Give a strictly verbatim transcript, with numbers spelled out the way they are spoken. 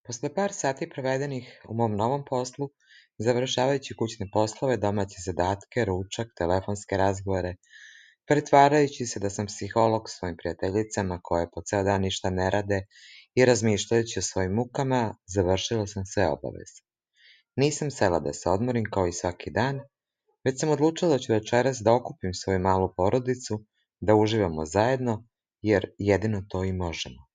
Posle par sati provedenih u mom novom poslu, završavajući kućne poslove, domaće zadatke, ručak, telefonske razgovore, pretvarajući se da sam psiholog svojim prijateljicama koje po ceo dan ništa ne rade i razmišljajući o svojim mukama, završila sam sve obaveze. Nisam sela da se odmorim kao i svaki dan, već sam odlučila da ću večeras da okupim svoju malu porodicu, da uživamo zajedno, jer jedino to i možemo.